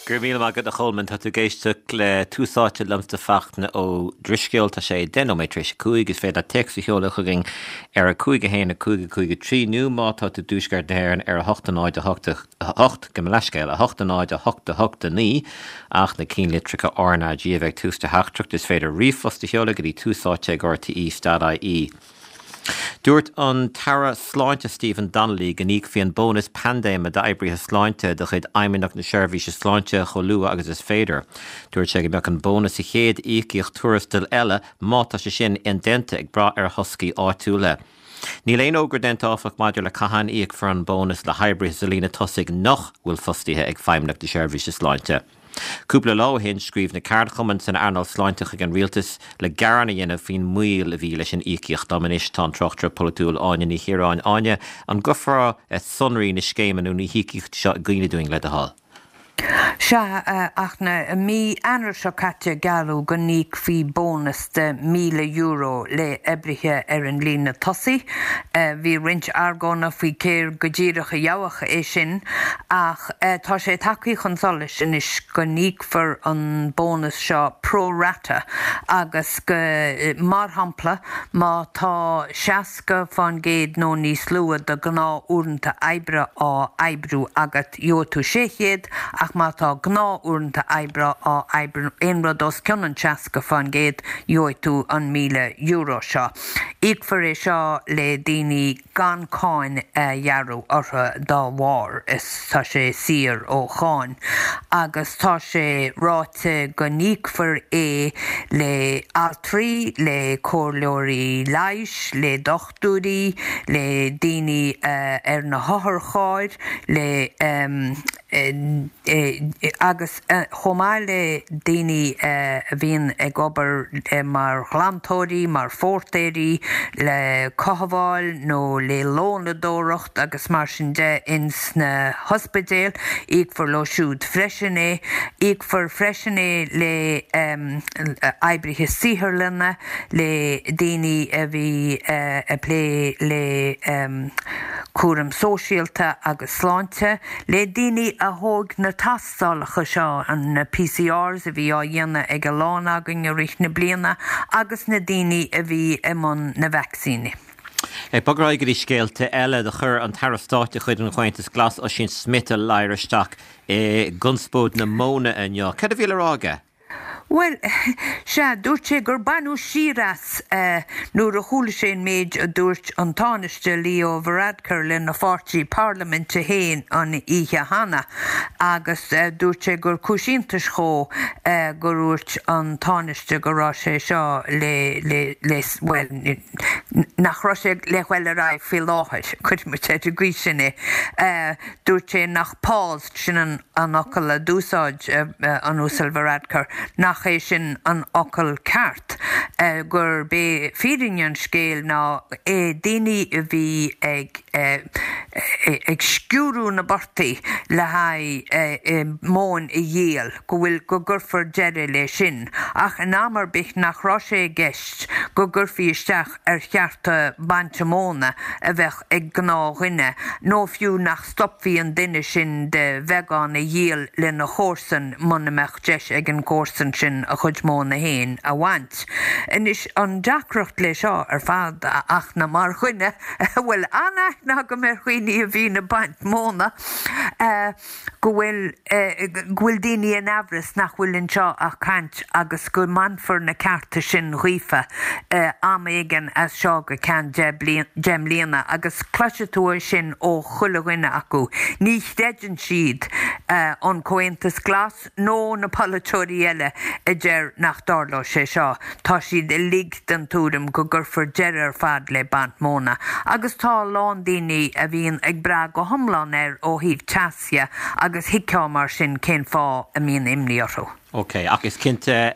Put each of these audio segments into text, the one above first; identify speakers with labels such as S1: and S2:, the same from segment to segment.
S1: Go raibh míle maith agat a Cholmáin. Tá tú ag éisteacht le Tús Áite liomsa Fachtna Ó Drisceoil. Tá sé 10 nóiméad tar éis 5. Is féidir leat téacs a sheoladh chugainn ar 5 1 5 5 3 nó má tá tú i dTuaisceart na hÉireann ar 8 0 8 8, gabh mo leithscéal, 8 0 8 8 9 ach na cinnlitreacha RnaG a bheith ag tús do theachtaireacht. Is féidir ríomhphost a sheoladh go dtí túsáite ag rte.ie. Dúirt an tAire Sláinte Stephen Donnelly go n-íocfaí an bónas paindéime d'oibrithe sláinte de chuid Fheidhmeannacht na Seirbhíse Sláinte chomh luath agus is féidir. Dúirt sé go mbeadh an bónas sa chéad íocaíocht tuarastail eile, má tá sé sin indéanta, ag brath ar thoscaí áitiúla. Níl aon fhógra déanta áfach maidir le cathain a íocfar an bónas le hoibrithe sa líne tosaigh nach bhfuil fostaithe ag Feidhmeannacht na Seirbhíse Sláinte. Cúpla lá ó shin, scríobh na ceardchumainn san earnáil sláinte chuig an rialtas le gearán a dhéanamh faoin moill a bhí leis an íocaíocht. Liom anois tá an tráchtaire polaitiúil Áine Ní Chiaráin. Áine, an gcuirfeá sonraí na scéime nó na híocaíochta seo i gcuimhne dúinn, le do thoil?
S2: Sea, a Fhachtna, i mí Eanáir seo caite gealladh go n-íocfaí bónas de €1,000 le oibrithe ar an líne tosaigh. Bhí roinnt argóna faoi cé go díreach a gheobhadh é sin ach tá sé tagtha chun solais anois go n-íocfar an bónas seo pro rata agus go, mar shampla, má tá 60% nó níos lú de ghnáth-uaireanta oibre á oibriú agat, gheobhaidh tú 600 ach má tá gnáth-uaireanta oibre á oibriú, aon rud os cionn an 60%, gheobhaidh tú an €1,000 seo. Íocfar é seo le daoine gan cáin a ghearradh orthu dá bharr, is tá sé saor ó cháin, agus tá sé ráite go n-íocfar é le altraí, le comhairleoirí leighis, le dochtúirí, le daoine ar na hotharchairr, le agus chomh maith le daoine a bhíonn ag obair mar ghlantóirí, mar phóirtéirí, le cothabháil nó le lónadóireacht agus mar sin de ins na hospidéil, íocfar leo siúd freisin é. Íocfar freisin é le oibrithe saotharlainne, le daoine a bhí ag plé le cúram sóisialta agus sláinte. Le daoine a thóg na tástálacha seo, na PCRs a bhí á dhéanamh ag a lán againn i rith na bliana agus na daoine a bhí i mbun na vacsaíní.
S1: Ag bogadh ar aghaidh go dtí scéalta eile, do chuir an tAire Stáit de chuid an Chomhaontais Ghlais, Ossian Smyth, a ladhar isteach i gconspóid na móna inniu. Cad a bhí le rá aige?
S2: Bhuel, sea, dúirt sé gur baineadh siar as nuair a chuala sé an méid a dúirt an Tánaiste Leo Varadkar lena pháirtí parlaiminte féin an oíche cheana agus dúirt sé gur cúis iontais dhó gur dhúirt an Tánaiste go raibh sé seo le, le, le, bhuel, nach raibh sé le ghoil ar aghaidh faoi láthair, cuirfidh muid ar an gcaoi sin é. Dúirt sé nach pause, sin an an fhocal a d'úsáid an Uasal Varadkar, nach é sin an fhocal ceart, gurb é fírinne an scéil ná daoine a bhí ag ag sciúradh na bportaí le haghaidh móin a dhíol, go bhfuil, go gcuirfear deireadh le sin, ach in am ar bith nach raibh sé i gceist go gcuirfí isteach ar chearta bainte móna a bheadh ag gnáthdhuine, nó fiú nach stopfaí an duine sin de bheagán a dhíol lena chomharsan muna mbeadh deis ag an gcomharsan sin a chuid móna féin a bhaint. Anois, an deacracht le seo ar fad, a Fhachtna, mar dhuine a bhfuil an-aithne agam ar dhaoine a bhíonn ag baint móna, go bhfuil go bhfuil daoine in aimhreas nach bhfuil anseo ach caint agus go mbainfear na cearta sin dhaofa am éigin as seo go ceann 10 mbliana agus cloisfidh tú é sin ó chuile dhuine acu. Ní chreideann siad an Comhaontas Glas nó na polaiteoirí eile a deir nach dtarlóidh sé seo. Tá siad uilig den tuairim go gcuirfear deireadh ar fad le baint móna agus tá a lán daoine a bhíonn ag brath go hiomlán air ó thaobh teas dhe agus thuigfeá mar sin cén fáth a mbíonn imní orthu.
S1: Ok, ach is cinnte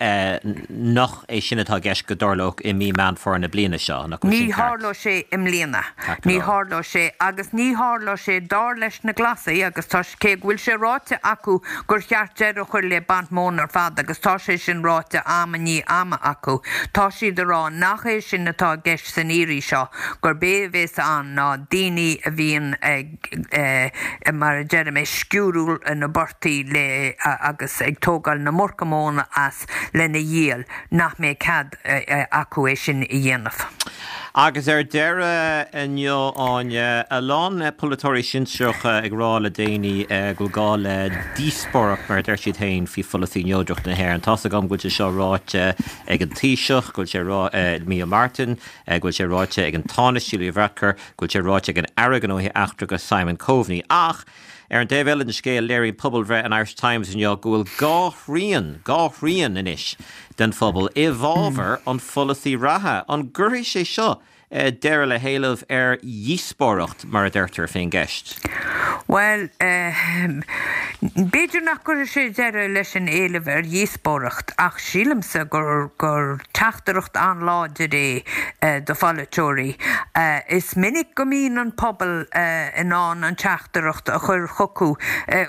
S1: nach é sin atá i gceist go dtarlódh i mí Meán Fómhair na bliana seo, nach bhfuil
S2: sin ceart? Ní tharlóidh sé i mbliana. Ní tharlóidh sé, agus ní tharlóidh sé dar leis na Glasaigh, agus tá, cé go bhfuil sé ráite acu gur cheart deireadh a chur le baint móna ar fad, agus tá sé sin ráite am i ndiaidh ama acu, tá siad ag rá nach é sin atá i gceist san iarraidh seo, gurb é a bheas ann ná daoine a bhíonn ag. mar a deirim, ag sciúradh na bportaigh le agus ag tógáil na murca móna as lena dhíol, nach mbeidh cead acu é sin a dhéanamh.
S1: Agus ar deireadh inniu, Áine, a lán polaiteoirí sinsearacha ag rá le déanaí go bhfuil gá le díospóireacht, mar a deir siad féin, faoi pholasaí neodrachta na hÉireann. Tá's agam go bhfuil sé seo ráite ag an Taoiseach, go bhfuil sé rá, Micheál Martin, go bhfuil sé ráite ag an Tánaiste Leo Varadkar, go bhfuil sé ráite ag an Aire Gnóthaí Eachtracha Simon Coveney. Ach, ar an dtaobh eile den scéal, léiríonn pobalbhreith an Irish Times inniu go bhfuil dhá thrian, dhá thrian anois, den phobal i bhfabhar an pholasaí reatha. An gcuirfidh sé seo deireadh le héileamh ar dhíospóireacht, mar a deirtear, faoin gceist?
S2: Bhuel, b'fhéidir nach gcuirfidh sé deireadh leis an éileamh ar dhíospóireacht, ach sílimse gur gur teachtaireacht an-láidir é do pholaiteoirí. Is minic go mbíonn an pobal in ann an teachtaireacht a chur chucu.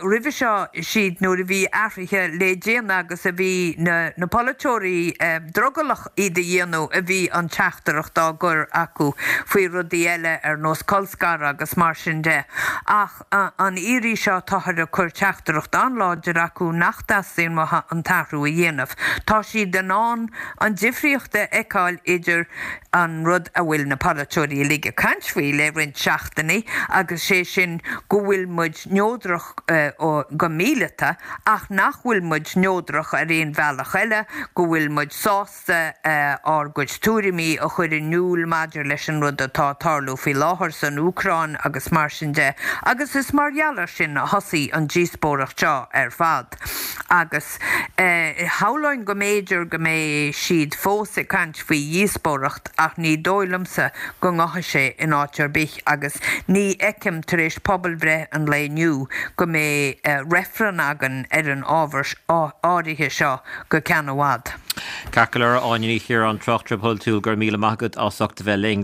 S2: Roimhe seo, siad nuair a bhí athruithe le déanamh agus a bhí na polaiteoirí drogallach iad a dhéanamh a bhí an teachtaireacht á gcur acu faoi rudaí eile ar nós colscaradh agus mar sin de. Ach an iarraidh seo táthar ag cur teachtaireacht an-láidir acu nach dteastaíonn uathu an t-athrú a dhéanamh. Tá siad in ann an difríocht a fheiceáil idir an rud a bhfuil na polaiteoirí uilig ag caint faoi le roinnt seachtainí agus sé sin go bhfuil muid neodrach go míleata ach nach bhfuil muid neodrach ar aon bhealach eile, go bhfuil muid sásta ár gcuid tuairimí a chur in iúl maidir leis an rud atá ag tarlú faoi láthair san Úcráin agus mar sin de agus is mar gheall air sin a thosaigh an díospóireacht seo ar fad. Agus shamhlóinn go mb'fhéidir go mbeidh siad fós ag caint faoi dhíospóireacht ach ní dóigh liomsa go ngabhfaidh sé in áit ar bith agus ní fheicim tar éis pobalbhreith an lae inniu go mbeidh reifreann againn ar an ábhar áirithe seo go ceann i bhfad.
S1: Ceart go leor, Áine Ní Chiaráin, tráchtaire polaitiúil, go raibh míle maith agat as ucht a bheith linn.